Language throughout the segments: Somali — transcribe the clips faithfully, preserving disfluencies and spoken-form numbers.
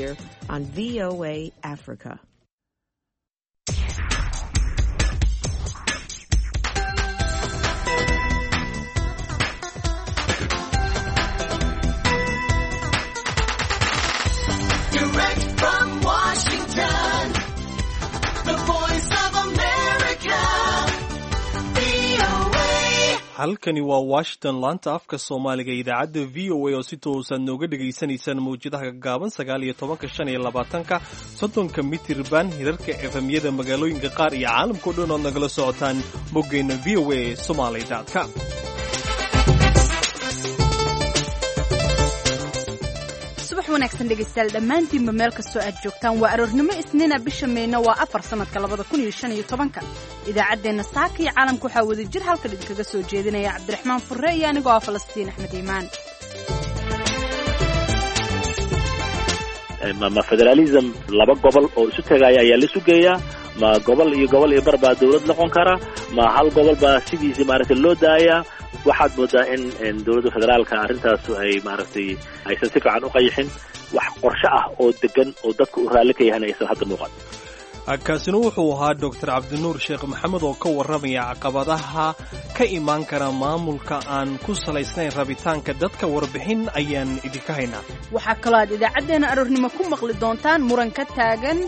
here on V O A Africa. Direct from Washington, the voice of America, V O A. Halkani waa Washington, laanta afka Soomaaliga, idaacadda V O A oo si toosaad nooga dhegaysanaysaan mawjadaha gaagaaban sagaal iyo tobanka, shan iyo labaatanka, soddonka mitirban, hirarka F M-yada magaalooyinka qaar iyo caalamka oo dhan ood nagala socotaan boggeenna V O A Somaly com. Subax wanaagsan dhegaystayaal dhammaantiinba meel kastoo aad joogtaan. Waa aroornimo Isniina, bisha Meyna waa afar, sanadka labada kun iyo shan iyo tobanka. Idaacaddeenna saaka iyo caalamka waxaa wada jir halkan idinkaga soo jeedinaya Cabdiraxmaan Furre iyo anigoo ah Falastiin Axmed Iimaan. ma ma federalism laba gobol oo isu tegaya ayaa la isu geeyaa? Ma gobol iyo gobol iyo bar baa dawlad noqon kara? Ma hal gobol baa sidiisii maaragtay loo daayaa? Waxaad moodaa in in dowladda federaalka arrintaas ay maaragtay aysan si fiican u qayixin, wax qorshe ah oo degan oo dadka u raalli ka yahana aysan hadda muuqan. Kaasina wuxuu ahaa Doctor Cabdinuur Sheekh Maxamed oo ka warramaya caqabadaha ka imaan kara maamulka aan ku salaysnayn rabitaanka dadka. Warbixin ayaan idinka haynaa. Waxaa kaloo aad idaacaddeenna aroornimo ku maqli doontaan muran ka taagan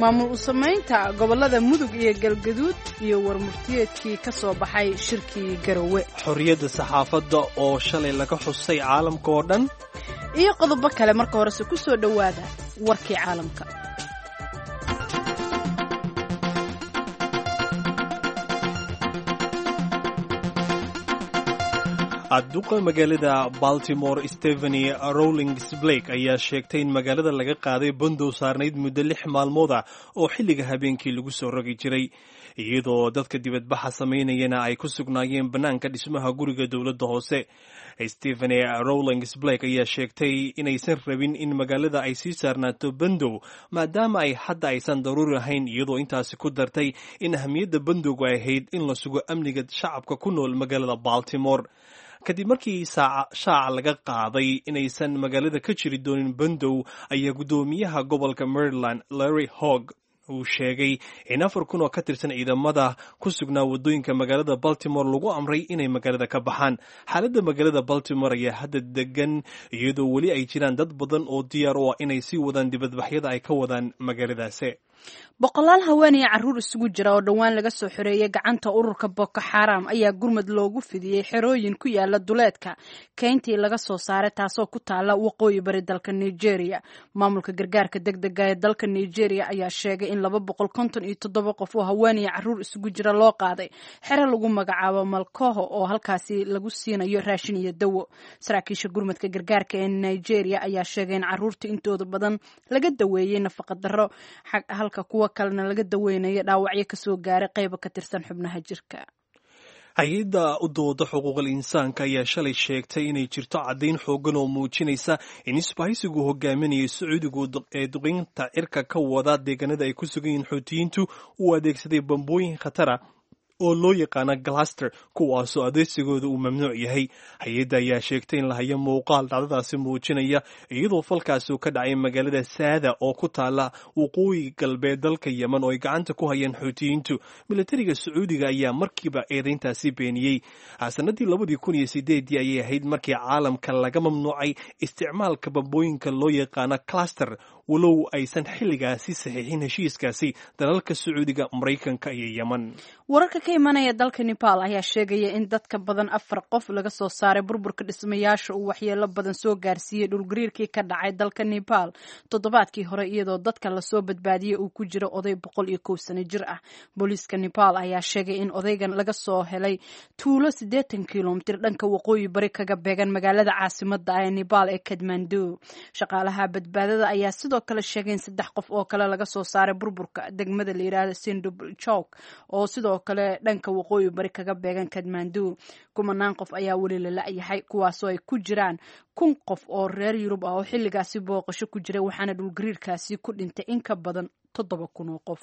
maamul u samaynta gobollada Mudug iyo Galgaduud iyo warmurtiyeedkii ka soo baxay shirkii Garowe. Xorriyadda saxaafadda oo shalay laga xusay caalamka oo dhan. Iyo qodobo kale. Marka horese ku soo dhowaada warkii caalamka. Duqa magaalada Baltimore, Stephanie Rawlings Blake, ayaa sheegtay in magaalada laga qaaday bandow saarnayd muddo lix maalmood ah oo xilliga habeenkii lagu soo rogi jiray, iyadoo dadka dibadbaxa samaynayana ay ku sugnaayeen bannaanka dhismaha guriga dowladda hoose. Stephanie Rawlings Blake ayaa sheegtay inaysan rabin in magaalada ay sii saarnaato bandow, maadaama ay hadda aysan daruuri ahayn, iyadoo intaasi ku dartay in ahamiyadda bandowgu ay ahayd in la sugo amniga shacabka ku nool magaalada Baltimore. Kadib markii shaaca laga qaaday inaysan magaalada ka jiri doonin bandow, ayaa guddoomiyaha gobolka Maryland, Larry Hog, uu sheegay in afar kun oo ka tirsan ciidamada ku sugnaa waddooyinka magaalada Baltimore lagu amray inay magaalada ka baxaan. Xaaladda magaalada Baltimore ayaa hadda degan, iyadoo weli ay jiraan dad badan oo diyaar u ah inay sii wadaan dibadbaxyada ay ka wadaan magaaladaasi. Boqolaal haween iyo carruur isugu jira oo dhowaan laga soo xoreeyay gacanta ururka Boko Xaram ayaa gurmad loogu fidiyey xerooyin ku yaala duleedka keyntii laga soo saaray, taasoo ku taala waqooyi bari dalka Nigeria. Maamulka gargaarka degdega ee dalka Nigeria ayaa sheegay in laba boqol konton iyo toddoba qof oo haween iyo carruur isugu jira loo qaaday xero lagu magacaabo Malkoho, oo halkaasi lagu siinayo raashin iyo dawo. Saraakiisha gurmadka gargaarka ee Nigeria ayaa sheegay in carruurta intooda badan laga daweeyey nafaqa darro, halka kuwa kalena laga daweynayo dhaawacyo kasoo gaaray qaybo ka tirsan xubnaha jirka. Hay-adda u dooda xuquuqal insaanka ayaa shalay sheegtay inay jirto caddayn xoogan oo muujinaysa in isbahaysigu hogaaminayay Sacuudigu ee duqeynta cirka ka wada deegaanada ay ku sugan yihiin Xuutiyiintu uu adeegsaday bambooyin khatara oo loo yaqaana cluster, kuwaasoo adeegsigooda uu mamnuuc yahay. Hay-adda ayaa sheegtay in la hayo muuqaal dhacdadaasi muujinaya, iyadoo falkaasi uu ka dhacay magaalada Saada oo ku taala waqooyi galbeed dalka Yemen oo ay gacanta ku hayeen Xuutiyiintu. Militariga Sacuudiga ayaa markiiba eedeyntaasi beeniyey. Sanadii labadii kun iyo sideedii ayay ahayd markii caalamka laga mamnuucay isticmaalka bambooyinka loo yaqaana cluster, walow aysan xilligaasi saxiixin heshiiskaasi dalalka Sacuudiga, Maraykanka iyo Yemen. Wararka ka imanaya dalka Nepal ayaa sheegaya in dadka badan afar qof laga soo saaray burburka dhismayaasha uu waxyeelo badan soo gaarsiiyey dhulgariirkii ka dhacay dalka Nepal toddobaadkii hore, iyadoo dadka lasoo badbaadiyey uu ku jiro oday boqol iyo kow sano jir ah. Booliiska Nepal ayaa sheegay in odaygan laga soo helay tuulo siddeetan kilomitir dhanka waqooyi bari kaga beegan magaalada caasimada ah ee Nepal ee Kathmandu. Shaqaalaha badbaadada ayaa sidoo kale sheegay in saddex qof oo kale laga soo saaray burburka degmada la yidhaahdo Sindhupalchowk, oo sidoo kale dhanka waqooyi bari kaga beegan Kathmandu. Kumanaan qof ayaa weli la la'yahay, kuwaasoo ay ku jiraan kun qof oo reer Yurub ah oo xilligaasi booqasho ku jiray, waxaana dhulgariirkaasi ku dhintay in ka badan toddoba kun oo qof.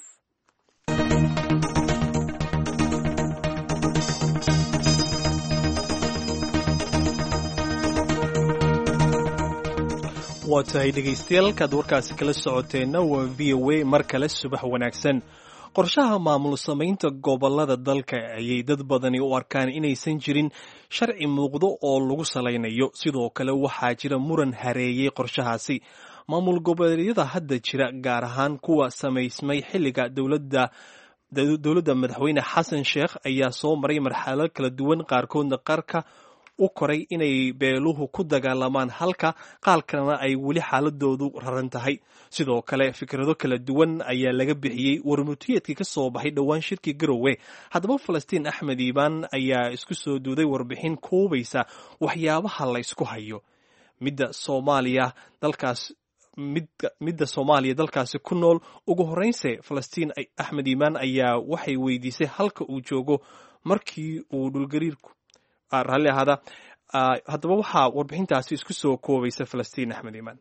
Waa tahay dhegaystayaal, halkaad warkaasi kala socoteenna waa V O A. Mar kale subax wanaagsan. Qorshaha maamul samaynta gobollada dalka ayay dad badani u arkaan inaysan jirin sharci muuqdo oo lagu salaynayo. Sidoo kale waxaa jira muran hareeyey qorshahaasi. Maamul goboleedyada hadda jira, gaar ahaan kuwa samaysmay xilliga dowladda dowladda madaxweyne Xasan Sheekh, ayaa soo maray marxalado kala duwan, qaarkoodna qarka u koray inay beeluhu ku dagaalamaan, halka qaar kalena ay weli xaaladoodu raran tahay. Sidoo kale fikrado kala duwan ayaa laga bixiyey warmutiyeedkii ka soo baxay dhowaan shirkii Garowe. Haddaba Falastiin Axmed Iibaan ayaa isku soo duuday warbixin koobaysa waxyaabaha la ysku hayo midda Soomaaliya dalkaas midda Soomaaliya dalkaasi ku nool. Ugu horreynse Falastiin Axmed Iimaan ayaa waxay weydiisay halka uu joogo markii uu dhulgariirku raalli ahaada. Haddaba waxaa warbixintaasi isku soo koobaysa Falastiin Axmed Iimaan.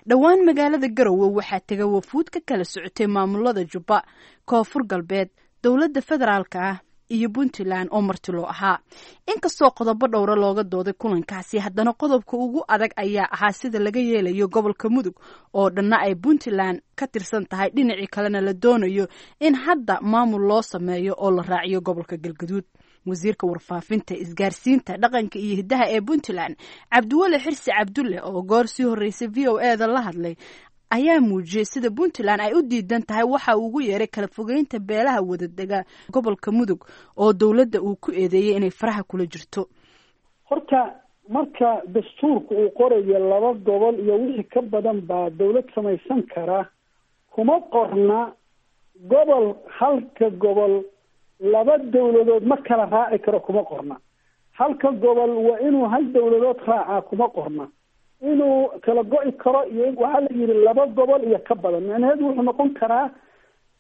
Dhowaan magaalada Garowe waxaa tegay wafuud ka kala socotay maamulada Jubba, Koonfur Galbeed, dowladda federaalka ah iyo Puntland oo marti loo ahaa. Inkastoo qodobo dhowra looga dooday kulankaasi, haddana qodobka ugu adag ayaa ahaa sida laga yeelayo gobolka Mudug oo dhanna ay Puntland ka tirsan tahay, dhinacii kalena la doonayo in hadda maamul loo sameeyo oo la raaciyo gobolka Galgaduud. Wasiirka warfaafinta, isgaarsiinta, dhaqanka iyo hiddaha ee Puntland, Cabdiweli Xirsi Cabdulle, oo goor sii horreysay V O E da la hadlay, ayaa muujiyey sida Puntland ay u diidan tahay waxa uu ugu yeeray kala fogeynta beelaha wadadega gobolka Mudug oo dowladda uu ku eedeeyey inay faraha kula jirto. Horta marka dastuurka uu qorayo laba gobol iyo wixii ka badan baa dowlad samaysan kara, kuma qorna gobol halka gobol laba dowladood ma kala raaci karo, kuma qorna. Halka gobol waa inuu hal dowladood raacaa, kuma qorna. Inuu kala go'i karo iyo waxaa la yidhi laba gobol iyo ka badan, micnaheedu wuxuu noqon karaa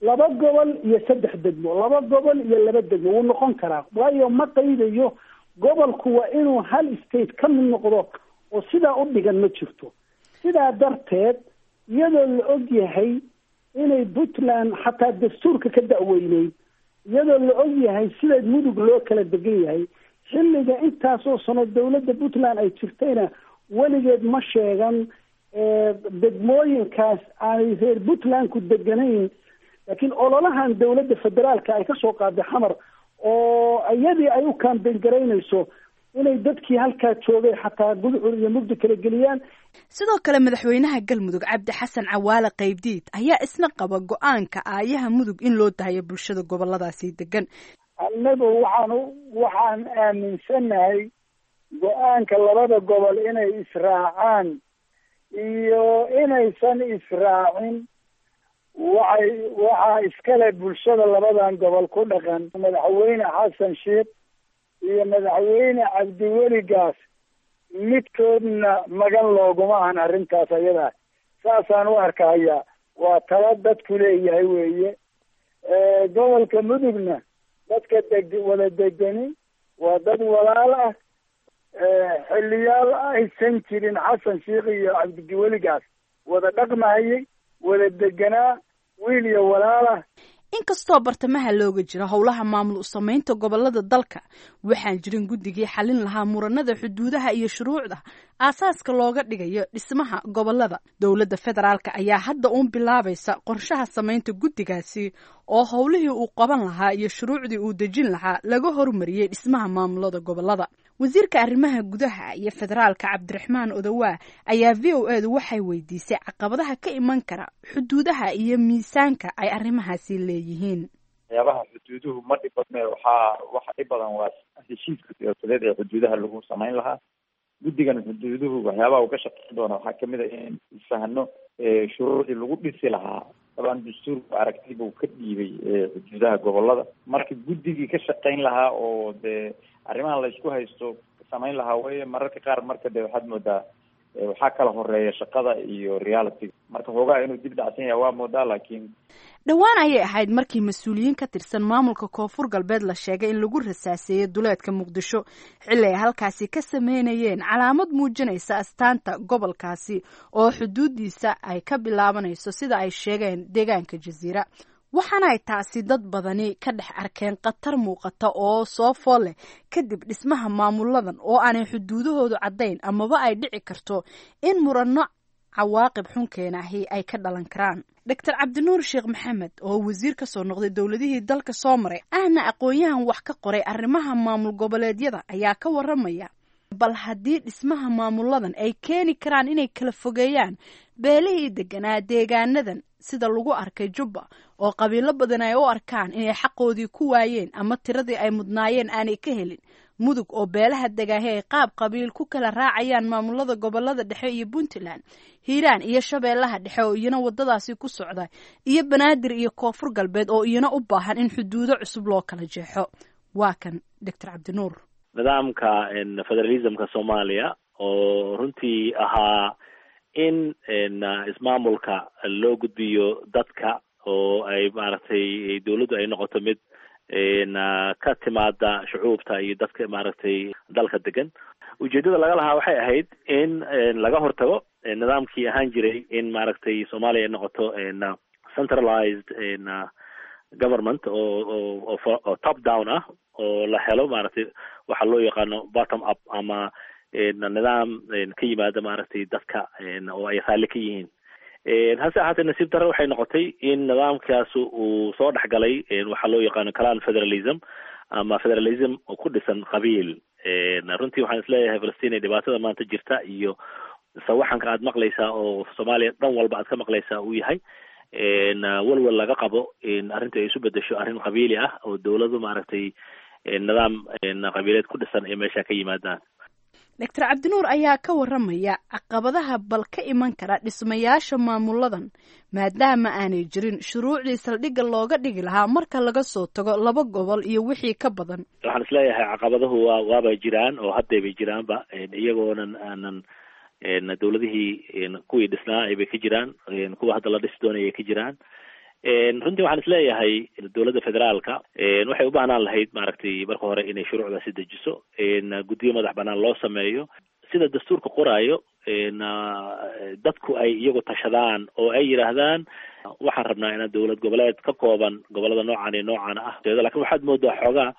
laba gobol iyo saddex degmo, laba gobol iyo laba degmo wuu noqon karaa, waayo ma qaydayo gobolku waa inuu hal state ka mid noqdo oo sidaa u dhigan ma jirto. Sidaa darteed iyadoo la og yahay inay Puntland xataa dastuurka ka da'weyneyd, iyadoo la og yahay sida Mudug loo kala degan yahay, xilliga intaasoo sano dowladda Puntland ay jirtayna weligeed ma sheegan degmooyinkaas aanay reer Puntland ku deganayn. Laakiin ololahan dowladda federaalka ay kasoo qaaday Xamar oo iyadii ay u kaambeyn garaynayso inay dadkii halkaa joogay xataa gudcur iyo mugdi kala geliyaan. Sidoo kale madaxweynaha Galmudug Cabdi Xasan Cawaale Qaybdiid ayaa isna qaba go-aanka aayaha Mudug in loo dahayo bulshada goboladaasi degan. Annagu waxaan waxaan aaminsannahay go-aanka labada gobol inay israacaan iyo inaysan israacin waxay waxaa iskale bulshada labadan gobol ku dhaqan. Madaxweyne Xasan Sheekh iyo madaxweyne Cabdiweli Gaas midkoodna magan looguma ahan arrintaas ayada, saasaan u arkaya. Waa talo dadku leeyahay weeye. Gobolka Mudugna dadka deg wada degani waa dad walaal ah. Xiliyaal aysan jirin Xasan Sheekh iyo Cabdiweli Gaas wada dhaqmahayay, wada deganaa, wiil iyo walaal ah. Inkastoo bartamaha looga jiro howlaha maamul u samaynta gobolada dalka, waxaan jirin guddigii xalin lahaa muranada xuduudaha iyo shuruucda aasaaska looga dhigayo dhismaha gobolada. Dowladda federaalka ayaa hadda uun bilaabaysa qorshaha samaynta guddigaasi oo howlihii uu qaban lahaa iyo shuruucdii uu dejin lahaa laga hormariyey dhismaha maamulada gobolada. Wasiirka arrimaha gudaha iyo federaalka Cabdiraxmaan Odowaa ayaa V O E du waxay weydiisay caqabadaha ka iman kara xuduudaha iyo miisaanka ay arrimahaasi leeyihiin. Waxyaabaha xuduuduhu ma dhib badne, waxaa waxa dhib badan waa heshiiska siyaasadeed ee xuduudaha lagu samayn lahaa. Guddigan xuduuduhu waxyaabaha uu ka shaqeyn doona waxaa kamid a in isfahno shuruucdii lagu dhisi lahaa. Dabcan dastuurku aragti buu ka dhiibay xuduudaha gobolada, marka guddigii ka shaqeyn lahaa oo dee arrimahan la isku haysto samayn lahaa wey. Mararka qaar marka de waxaad moodaa waxaa kala horeeya shaqada iyo reality, marka xoogaa inuu dib dhacsan yahay waa moodaa. Laakiin dhowaan ayay ahayd markii mas-uuliyiin ka tirsan maamulka Koonfur Galbeed la sheegay in lagu rasaaseeyey duleedka Muqdisho xilli ay halkaasi ka sameynayeen calaamad muujinaysa astaanta gobolkaasi oo xuduudiisa ay ka bilaabanayso sida ay sheegeen deegaanka Jasiira. Waxaana ay taasi dad badani ka dhex arkeen khatar muuqata oo soo fool leh kadib dhismaha maamuladan oo aanay xuduudahoodu caddayn, amaba ay dhici karto in muranno cawaaqib xun keenahi ay ka dhalan karaan. Doctor Cabdinuur Sheekh Maxamed, oo wasiir ka soo noqday dowladihii dalka soo maray, ahna aqoon-yahan wax ka qoray arrimaha maamul goboleedyada, ayaa ka waramaya bal haddii dhismaha maamuladan ay keeni karaan inay kala fogeeyaan beelihii deganaa deegaanadan, sida lagu arkay Jubba oo qabiilo badan ay u arkaan inay xaqoodii ku waayeen ama tiradii ay mudnaayeen aanay ka helin, Mudug oo beelaha degaahe ay qaab qabiil ku kala raacayaan maamulada gobolada dhexe iyo Puntland, Hiiraan iyo Shabeellaha Dhexe oo iyana wadadaasi ku socda, iyo Banaadir iyo Koonfur Galbeed oo iyana u baahan in xuduudo cusub loo kala jeexo. Waa kan Doctor Cabdinuur. Nidaamka federalismka Soomaaliya oo runtii ahaa in ismaamulka loo gudbiyo dadka oo ay maaragtay dawladdu ay noqoto mid ka timaada shucuubta iyo dadka maaragtay dalka degan, ujeedada laga lahaa waxay ahayd in laga hortago nidaamkii ahaan jiray in maaragtay Soomaaliya ay noqoto centralized government oo oo oo top down ah, oo la helo maaragtay waxa loo yaqaano bottom up ama nidaam ka yimaada maaragtay dadka oo ay raalli ka yihiin. Hase ahaatee, nasiib darre waxay noqotay in nidaamkaas uu soo dhexgalay waxaa loo yaqaano clan federalism ama federalism oo ku dhisan qabiil. Runtii waxaan isleeyahay, Falastiin, ay dhibaatada maanta jirta iyo sawaxanka aad maqlaysaa oo Soomaaliya dhan walba aad ka maqlaysaa uu yahay walwal laga qabo in arrinta ay isu bedesho arrin qabiili ah oo dawladu maaragtay nidaam qabiileed ku dhisan ay meesha ka yimaadaan. Doctor Cabdinuur ayaa ka waramaya caqabadaha bal ka iman kara dhismayaasha maamuladan, maadaama aanay jirin shuruucdii saldhigga looga dhigi lahaa marka laga soo tago laba gobol iyo wixii ka badan. Waxaan isleeyahay caqabaduhu waa waabay jiraan oo haddaybay jiraanba, iyagoonan aanan dawladihii kuwii dhisnaa aybay ka jiraan, kuwa hadda la dhisi doonaya ay ka jiraan. Runtii waxaan isleeyahay dowladda federaalka waxay u baahnaan lahayd maaragtay marka hore inay shuruucdaasi dejiso, guddiyo madax banaan loo sameeyo sida dastuurka qoraayo, dadku ay iyagu tashadaan oo ay yidhaahdaan waxaan rabnaa inaan dowlad goboleed ka kooban gobolada noocan iyo noocan ah. Lakin waxaad moodaa xoogaa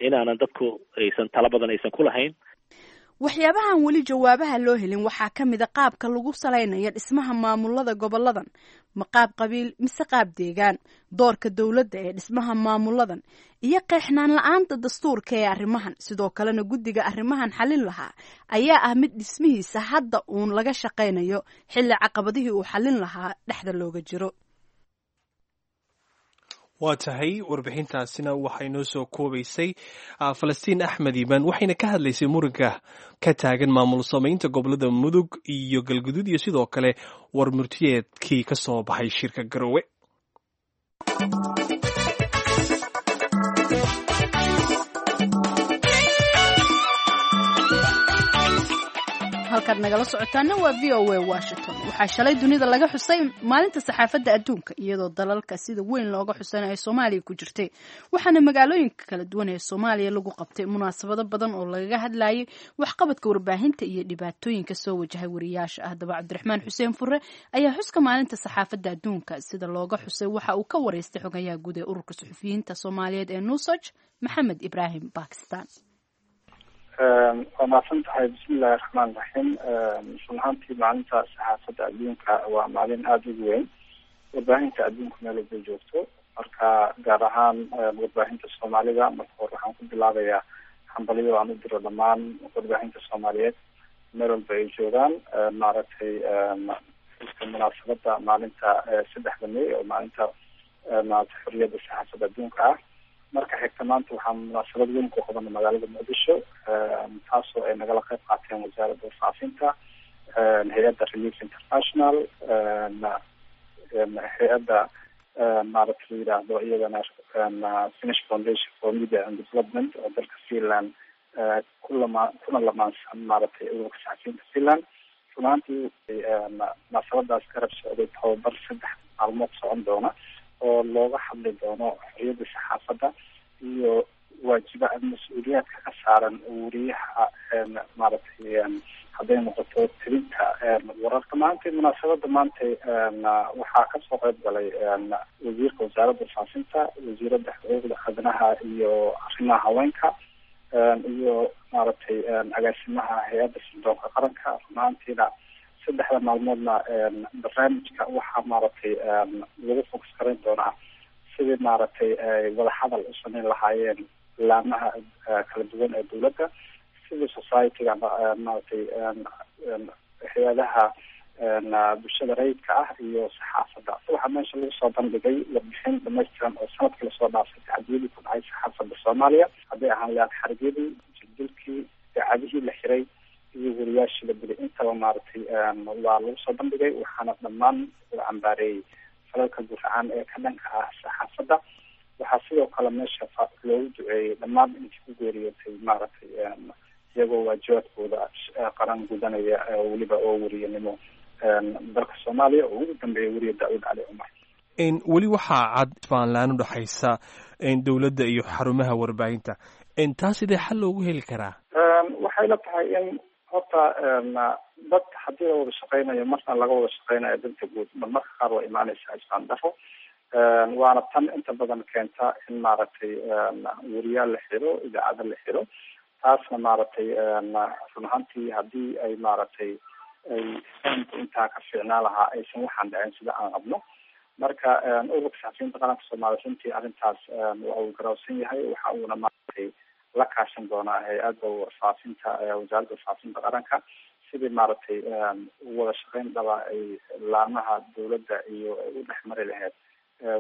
inaanan dadku aysan talo badan aysan ku lahayn. Waxyaabahan weli jawaabaha loo helin waxaa ka mid a qaabka lagu salaynayo dhismaha maamulada goboladan: ma qaab qabiil mise qaab deegaan? Doorka dowladda ee dhismaha maamuladan iyo qeexnaan la-aanta dastuurka ee arrimahan. Sidoo kalena guddiga arrimahan xalin lahaa ayaa ah mid dhismihiisa hadda uun laga shaqaynayo, xilli caqabadihii uu xalin lahaa dhexda looga jiro. Waa tahay, warbixintaasina waxay noo soo koobaysay Falastiin Axmed Iimaan, waxayna ka hadlaysay muranka ka taagan maamul samaynta gobolada Mudug iyo Galguduud iyo sidoo kale war murtiyeedkii ka soo baxay shirka Garowe. Halkaad nagala socotaana waa V O A Washington. Waxaa shalay dunida laga xusay maalinta saxaafadda adduunka, iyadoo dalalka sida weyn looga xusana ay Soomaaliya ku jirtay. Waxaana magaalooyinka kala duwan ee Soomaaliya lagu qabtay munaasabado badan oo lagaga hadlayay waxqabadka warbaahinta iyo dhibaatooyinka soo wajahay wariyaasha. Haddaba, Cabdiraxmaan Xuseen Fure ayaa xuska maalinta saxaafadda adduunka sida looga xusay waxa uu ka wareystay xogayaha guud ee Ururka Suxufiyiinta Soomaaliyeed ee NUSOJ, Maxamed Ibraahim Bakistan. Waa mahadsan tahay. Bismillahi raxmaan raxiim. Run ahaantii maalinta saxaafadda adduunka waa maalin aada ugu weyn warbaahinta adduunka meel walbay joogto. Marka gaar ahaan warbaahinta Soomaalida, marka hore waxaan ku bilaabayaa hambalyo aan u diro dhammaan warbaahinta Soomaaliyeed meel walba ay joogaan, maaragtay xuska munaasabada maalinta saddexda May oo maalinta maaragtay xorriyadda saxaafadda adduunka ah. Marka xigta, maanta waxaan munaasabad weyn ku qabanay magaalada Muqdisho, taasoo ay nagala qayb qaateen Wasaaradda Warfaafinta, hay-adda Relief International, hay-adda maaragta la yidhaahdo iyadana Finnish Foundation for Media and Development oo dalka Finland kulama kuna lamaansan maaragtay ururka saxafiyiinta Finland. Runaantii munaasabadaas garab socday tababar saddex maalmood socon doona oo looga hadli doono xorriyadda saxaafadda iyo waajiba mas-uuliyaadka ka saaran wariyaha, maaragtay hadday noqoto tirinta wararka. Maanta Ahaantii munaasabada maanta waxaa kasoo qayb galay wasiirka wasaaradda faafinta, wasiirada xuquuqda aadanaha iyo arrimaha haweenka, iyo maaragtay agaasimaha hay-adda sirdoonka qaranka. Run ahaantiina saddexda maalmoodna barnaamijka waxaa maaragtay lagu focus garayn doonaa sidii maaragtay ay wadahadal u sameyn lahaayeen laamaha kala duwan ee dowladda, civil society-ga, maaragtay hay-adaha bulshada rayidka ah iyo saxaafadda. Waxaa meesha lagu soo bandhigay warbixin dhamaystiran oo sanadkii lasoo dhaafay tacadiyadii ku dhacay saxaafadda Soomaaliya, hadday ahaan lahayd xarigyadii, jirdilkii, idaacadihii la xiray iyo wariyaashii la dilay, intaba maaragtay waa lagu soo bandhigay. Waxaana dhammaan la cambaareeyey falalka guracan ee ka dhanka ah saxaafadda. Waxaa sidoo kale meesha loogu duceeyey dhammaan intii ku geeriyootay maaragtay iyagoo waajibaadkooda qaran gudanaya, weliba oo weriyanimo dalka Soomaaliya, oo ugu dambeeya weriye Daawud Cali Cumar. Weli waxaa cad faanlaan udhexaysa dowladda iyo xarumaha warbaahinta, taa sidee xal loogu heli karaa? Waxay la tahay in horta dad haddii la wada shaqeynayo, marna laga wada shaqeynayo danta guud, marmarka qaar waa imaaneysaa isfaan daro, waana tan inta badan keenta in maaragtay weriyaal la xiro, idaacada la xiro. Taasna maaragtay run ahaantii haddii ay maaragtay ay fahamku intaa ka fiicnaa lahaa, aysan waxaan dhacin sida aan qabno. Marka ururka saxafiyiinta qaranka Soomaaliya runtii arrintaas waa uu garawsan yahay, waxa uuna maaragtay la kaashan doonaa hay-adda warfaafinta, wasaaradda warfaafinta qaranka, sidii maaragtay wada shaqeyn dhaba ay laamaha dowladda iyo ay u dhex mari lahayd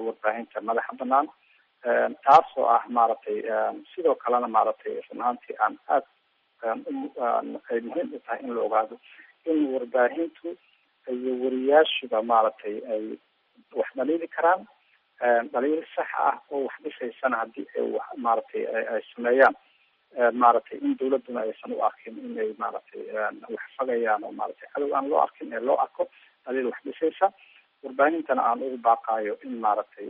warbaahinta madaxa banaan, taas oo ah maaragtay sidoo kalena maaragtay run ahaantii aan aad ay muhiim u tahay in la ogaado in warbaahintu iyo wariyaashuba maaragtay ay wax dhaliili karaan, dhaliil sax ah oo wax dhisaysana haddii ay wax maaragtay ay sameeyaan, maaragtay in dowladuna aysan u arkin inay maaragtay wax fagayaan oo maaragtay cadow aan loo arkin ee loo arko dhaliil wax dhisaysa. Warbaahintana aan ugu baaqaayo in maaragtay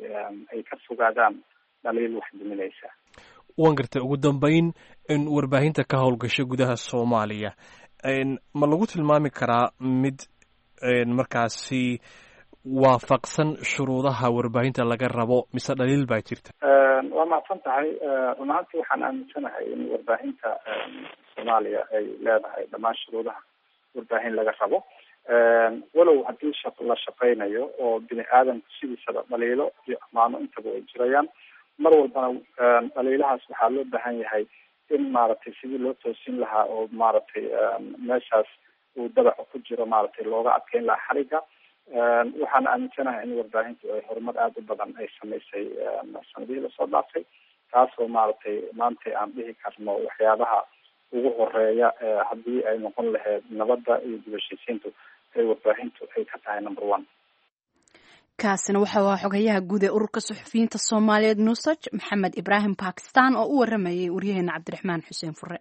ay ka fogaadaan dhaliil wax duminaysa. Waan gartay. Ugu dambeyn, in warbaahinta ka howlgasho gudaha Soomaaliya ma lagu tilmaami karaa mid markaasi waafaqsan shuruudaha warbaahinta laga rabo, mise dhaliil baa jirta? Waa mahadsan tahay. Run ahaantii waxaan aaminsanahay in warbaahinta Soomaaliya ay leedahay dhammaan shuruudaha warbaahin laga rabo, walow haddii sha la shaqeynayo oo bini aadamku sidiisaba dhaliilo iyo amaano intaba ay jirayaan. Mar walbana dhaliilahaas waxaa loo baahan yahay in maaragtay sidii loo toosin lahaa oo maaragtay meeshaas uu dabacu ku jiro maaragtay looga adkeyn lahaa xariga. Waxaan aaminsanahay in warbaahintu ay horumar aada u badan ay sameysay sanadihii lasoo dhaafay, taasoo maaragtay maanta aan dhihi karno waxyaabaha ugu horeeya haddii ay noqon lahayd nabadda iyo dib heshiisiintu ay warbaahintu ay ka tahay number one. Kaasina waxa uu ahaa xogayaha guud ee ururka suxufiyiinta Soomaaliyeed Nusaj, Maxamed Ibraahim Bakistan, oo u waramayay waryaheena Cabdiraxmaan Xuseen Fure.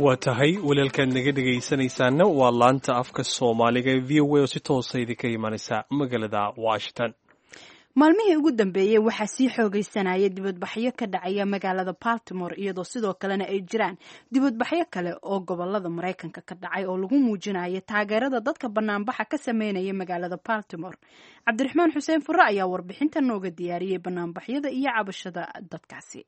Waa tahay, walaalkaad naga dhegaysanaysaana waa laanta afka Soomaaliga ee V O A oo si toosa idinka imanaysa magaalada Washington. Maalmihii ugu dambeeyey waxaa sii xoogaysanayay dibadbaxyo ka dhacaya magaalada Baltimore, iyadoo sidoo kalena ay jiraan dibadbaxyo kale oo gobolada Maraykanka ka dhacay oo lagu muujinayo taageerada dadka banaanbaxa ka sameynaya magaalada Baltimore. Cabdiraxmaan Xuseen Fure ayaa warbixinta nooga diyaariyey banaanbaxyada iyo cabashada dadkaasi.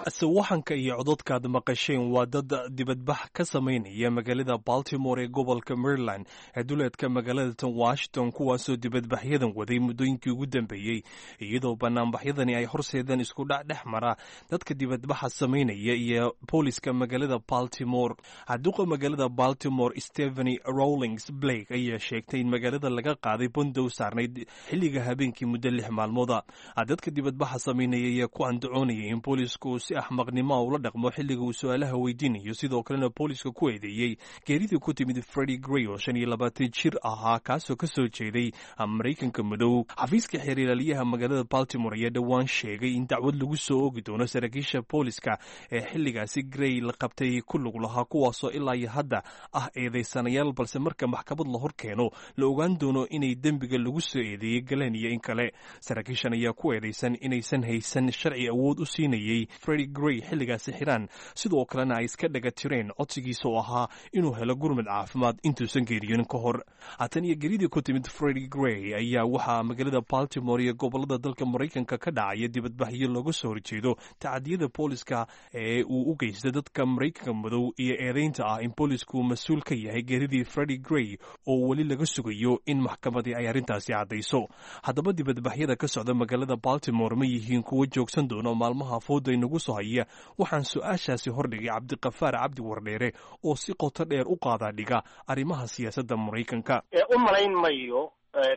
Sawaxanka iyo cododkaad maqasheen waa dad dibadbax ka samaynaya magaalada Baltimore ee gobolka Maryland ee duleedka magaalada tan Washington, kuwaasoo dibadbaxyadan waday muddooyinkii ugu dambeeyey, iyadoo banaanbaxyadani ay horseedeen isku dhac dhex mara dadka dibadbaxa samaynaya iyo booliska magaalada Baltimore. Duqa magaalada Baltimore Stepheny Rawlings Blake ayaa sheegtay in magaalada laga qaaday bandow saarnayd xilliga habeenkii muddo lix maalmooda. Dadka dibadbaxa samaynaya ayaa ku andacoonaya eedeynayay in boolisku si axmaqnimoa ula dhaqmo xilliga uu su-aalaha weydiinayo, sidoo kalena booliska ku eedeeyey geeridii ku timid Freddie Gray oo shan iyo labaatan jir ahaa, kaasoo ka soo jeeday Maraykanka madow. Xafiiska xeer ilaaliyaha magaalada Baltimore ayaa dhowaan sheegay in dacwad lagu soo oogi doono saraakiisha booliska ee xilligaasi Gray la qabtay ku lug lahaa, kuwaasoo ilaa iyo hadda ah eedeysanayaal, balse marka maxkamad la hor keeno la ogaan doono inay dembiga lagu soo eedeeyey galeen iyo in kale. Saraakiishan ayaa ku eedeysan inaysan haysan sharci awood u siinayey Freddie Gray xilligaasi xiraan, sidoo kalena ay iska dhaga tireen codsigiisa oo ahaa inuu helo gurmad caafimaad intuusan geeriyonin ka hor. Haatan iyo geridii ku timid Freddie Gray ayaa waxaa magaalada Baltimore iyo gobolada dalka Maraykanka ka dhacaya dibadbaxyo looga soo horjeedo tacadiyada booliska ee uu u geysta dadka Maraykanka madow iyo eedeynta ah in boolisku mas-uul ka yahay geridii Freddie Gray oo weli laga sugayo in maxkamadii ay arrintaasi caddayso. Haddaba, dibadbaxyada ka socda magaalada Baltimore ma yihiin kuwo joogsan doono maalmaha fooda inagu soo haya? Waxaan su-aashaasi hordhigay Cabdiqafaar Cabdi Wardheere oo si qoto dheer u qaadaa dhiga arrimaha siyaasadda Maraykanka. U malayn mayo,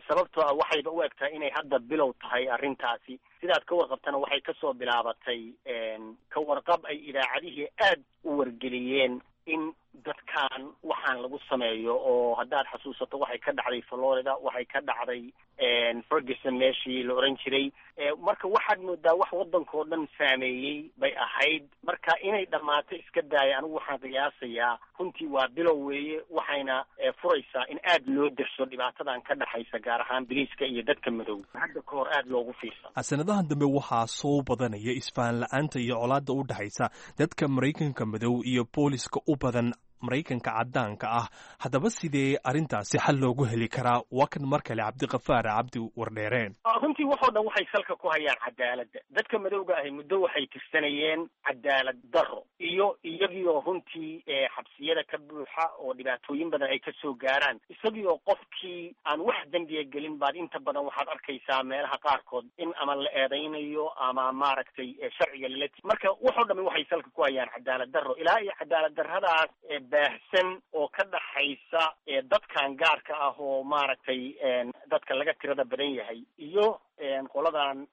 sababtoo ah waxayba u egtahay inay hadda bilow tahay arrintaasi. Sidaad ka warqabtana, waxay kasoo bilaabatay ka warqab ay idaacadihii aad u wargeliyeen in dadkan waxaan lagu sameeyo, oo haddaad xasuusato waxay ka dhacday Florida, waxay ka dhacday Ferguson meeshii la oran jiray. Marka waxaad moodaa wax waddankao dhan saameeyey bay ahayd. Marka inay dhammaato iska daaya, anigu waxaan qiyaasayaa runtii waa bilow weeye, waxayna furaysaa in aad loo derso dhibaatadan ka dhexaysa, gaar ahaan biliiska iyo dadka madow, hadda ka hor aad loogu fiirsan. Sanadahan dambe waxaa soo badanaya isfahan la-aanta iyo colaadda u dhexaysa dadka Maraykanka madow iyo booliska u badan Maraykanka caddaanka ah. Haddaba, sidee arrintaasi xal loogu heli karaa? Waa kan mar kale Cabdiqafaar Cabdi Wardheere. Runtii waxoo dhan waxay salka ku hayaan cadaaladda. Dadka madowga ahi muddo waxay tirsanayeen cadaalad darro iyo iyagioo runtii xabsiyada ka buuxa oo dhibaatooyin badan ay kasoo gaaraan, isagiioo qofkii aan wax dembiya gelin baad inta badan waxaad arkaysaa meelaha qaarkood in ama la eedaynayo ama maaragtay sharciga lala. Marka waxoo dhami waxay salka ku hayaan cadaalad darro, ilaa iyo cadaalad darradaas baahsan oo ka dhaxaysa dadkan gaarka ah oo maaragtay dadka laga tirada badan yahay iyo qoladan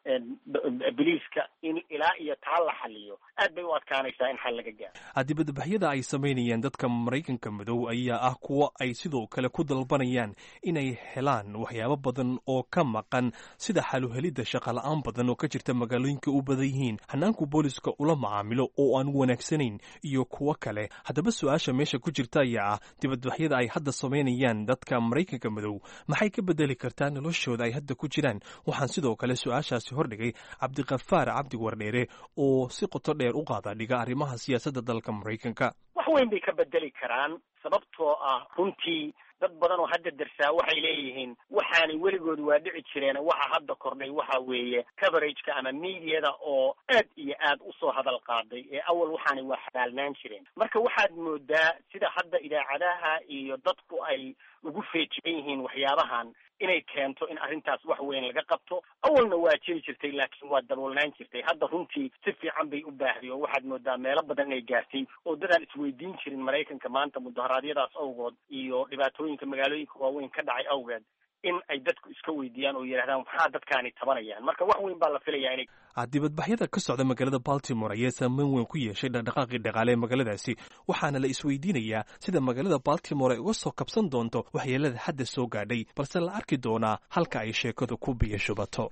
biliiska, in ilaa iyo taa la xaliyo aad bay u adkaanaysaa in xal laga gaaro. Dibadbaxyada ay samaynayaan dadka Maraykanka madow ayaa ah kuwo ay sidoo kale ku dalbanayaan inay helaan waxyaabo badan oo ka maqan, sida xaluhelidda shaqala-aan badan oo ka jirta magaalooyinka u badan yihiin, hanaanku booliska ula macaamilo oo aan wanaagsanayn iyo kuwo kale. Haddaba, su-aasha meesha ku jirta ayaa ah: dibadbaxyada ay hadda samaynayaan dadka Maraykanka madow maxay ka bedeli kartaa noloshooda ay hadda ku jiraan? Waxaan sidoo kale su-aashaasi hordhigay Cabdiqafaar Cabdi Wardheere oo si qoto dheer u qaada dhiga arrimaha siyaasadda dalka Maraykanka. Wax weyn bay ka bedeli karaan, sababtoo ah runtii dad badan oo hadda darsaa waxay leeyihiin waxaanay weligood waa dhici jireen. Waxa hadda kordhay waxa weeye coverageka ama mediada oo aad iyo aad usoo hadal qaaday, ee awal waxaanay waa xabaalnaan jireen. Marka waxaad moodaa sida hadda idaacadaha iyo dadku ay ugu feejigan yihiin waxyaabahan inay keento in arrintaas wax weyn laga qabto. Awalna waa jiri jirtay, laakiin waa daboolnaan jirtay. Hadda runtii si fiican bay u baahday, oo waxaad moodaa meelo badan inay gaartay oo dadaan isweydiin jirin Maraykanka maanta mudaharaadyadaas awgood iyo dhibaatooyinka magaalooyinka waaweyn ka dhacay awgeed in ay dadku iska weydiiyaan oo yidhahdaan maxaa dadkaani tabanayaan. Marka wax weyn baa la filayaa inay Dibadbaxyada ka socda magaalada Baltimore ayaa saameyn weyn ku yeeshay dhaqdhaqaaqii dhaqaale ee magaaladaasi, waxaana la isweydiinayaa sida magaalada Baltimore ay uga soo kabsan doonto waxyeelada hadda soo gaadhay, balse la arki doonaa halka ay sheekadu ku biyo shubato.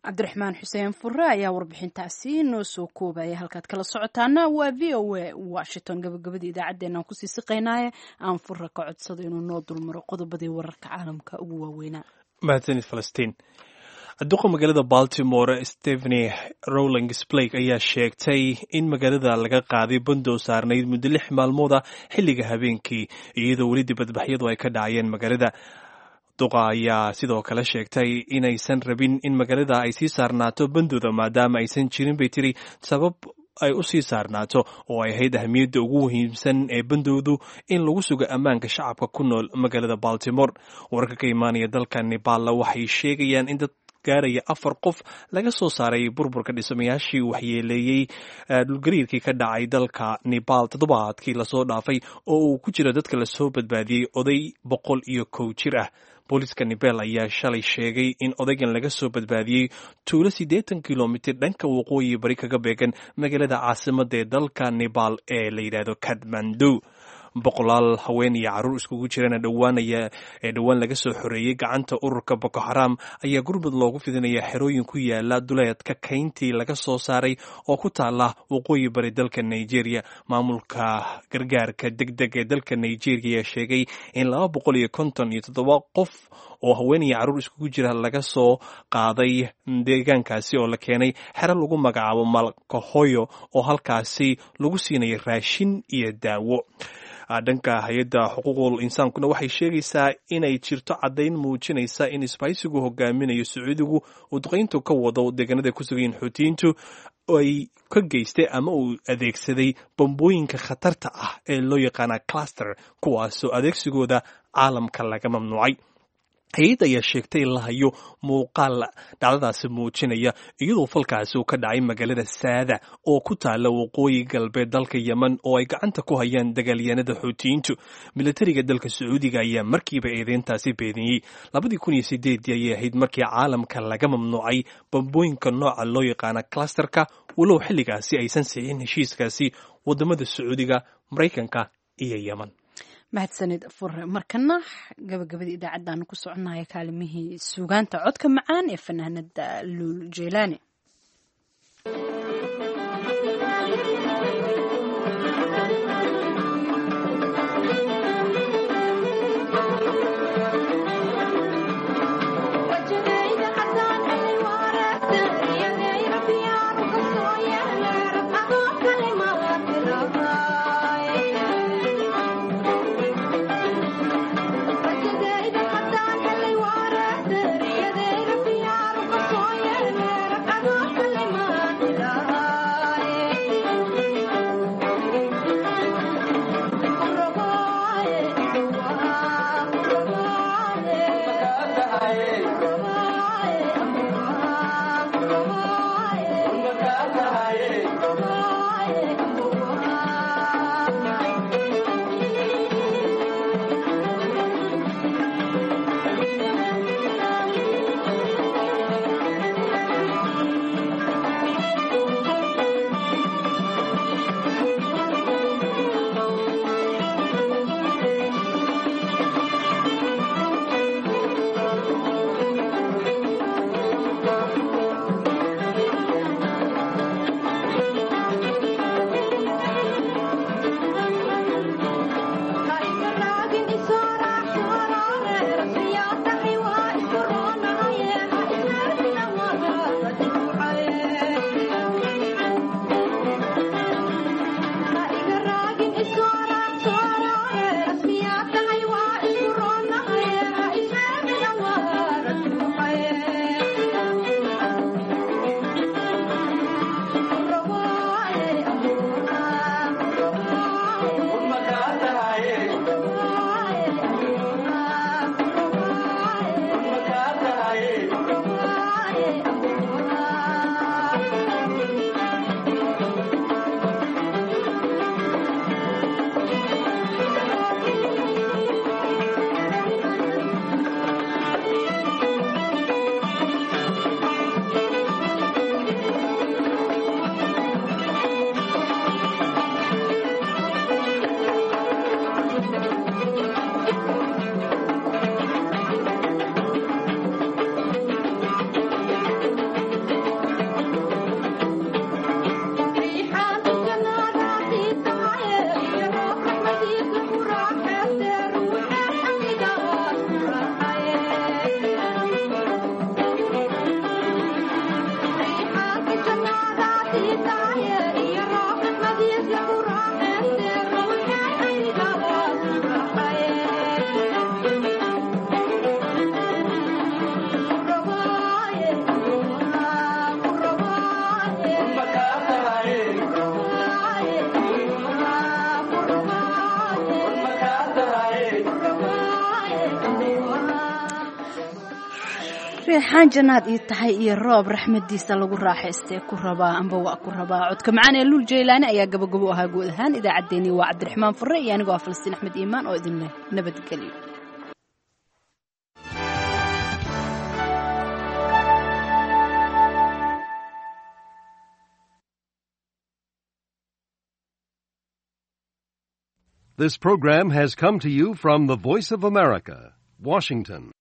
Cabdiraxmaan Xuseen Fure ayaa warbixintaasi noo soo koobaya. Halkaad kala socotaana waa V O A Washington. Gabagabadii idaacaddeenna aan kusii siqaynaaye, aan Fure ka codsado inuu noo dulmaro qodobadii wararka caalamka ugu waaweynaa. Mahadsanid, Falastiin. Duqa magaalada Baltimore Stephanie Rawlings Blake ayaa sheegtay in magaalada laga qaaday bandow saarnayd muddo lix maalmooda xilliga habeenkii, iyadoo weli dibadbaxyadu ay ka dhacayeen magaalada. Duqa ayaa sidoo kale sheegtay inaysan rabin in magaalada ay sii saarnaato bandowda, maadaama aysan jirin, bay tiri, sabab ay u sii saarnaato, oo ay ahayd ahmiyadda ugu muhiimsan ee bandowdu in lagu sugo ammaanka shacabka ku nool magaalada Baltimore. Wararka ka imaanaya dalka Nepal waxay sheegayaan in dad gaaraya afar qof laga soo saaray burburka dhismayaashii waxyeeleeyey dhulgariirkii ka dhacay dalka Nepal toddobaadkii lasoo dhaafay, oo uu ku jiro dadka lasoo badbaadiyey oday boqol iyo kow jir ah. Booliska Nepal ayaa shalay sheegay in odaygan laga soo badbaadiyey tuulo siddeetan kilomitir dhanka waqooyi bari kaga beegan magaalada caasimada ee dalka Nepal ee la yidhaahdo Kathmandu. Boqolaal haween iyo carruur iskugu jirana dhowaan ayaa ee dhowaan laga soo xoreeyey gacanta ururka Boko Haram ayaa gurmud loogu fidinaya xerooyin ku yaala duleedka kayntii laga soo saaray oo ku taala waqooyi bari dalka Nigeria. Maamulka gargaarka degdeg ee dalka Nigeria ayaa sheegay in laba boqol iyo konton iyo toddoba qof oo haween iyo carruur iskugu jira laga soo qaaday deegaankaasi oo la keenay xero lagu magacaabo Malkahoyo oo halkaasi lagu siinaya raashin iyo daawo. Dhanka hay-adda xuquuqul insaankuna waxay sheegaysaa inay jirto caddayn muujinaysa in isbahaysigu hogaaminayo Sacuudigu uu duqayntu ka wado deegaanada ku sugayiin Xuutiyiintu ay ka geystay ama uu adeegsaday bambooyinka khatarta ah ee loo yaqaana cluster, kuwaasoo adeegsigooda caalamka laga mamnuucay. Hay-adda ayaa sheegtay in la hayo muuqaal dhacdadaasi muujinaya, iyadoo falkaasi uu ka dhacay magaalada Saada oo ku taala waqooyi galbeed dalka Yemen oo ay gacanta ku hayaan dagaalyahanada Xuutiyiintu. Militariga dalka Sacuudiga ayaa markiiba eedeyntaasi beeniyey. Labadii kun iyo sideedii ayay ahayd markii caalamka laga mamnuucay bambooyinka nooca loo yaqaana clusterka, walow xilligaasi aysan sixin heshiiskaasi wadamada Sacuudiga, Maraykanka iyo Yemen. Mahadsanid Fure. Markana gabagabadii idaacaddaanu ku soconaya, kaalimihii suugaanta, codka macaan ee fanaanada Luul Jeelaani. Reexaan jannaad ii tahay iyo roob raxmadiisa lagu raaxaystee ku rabaa amba waa ku rabaa. Codka macaan ee Luul Jaylaani ayaa gabagabo ahaa guud ahaan idaacaddeenii. Waa Cabdiraxmaan Furre iyo anigoo ah Falastiin Axmed Iimaan oo idin leh nabadgelyo. This program has come to you from the Voice of America, Washington.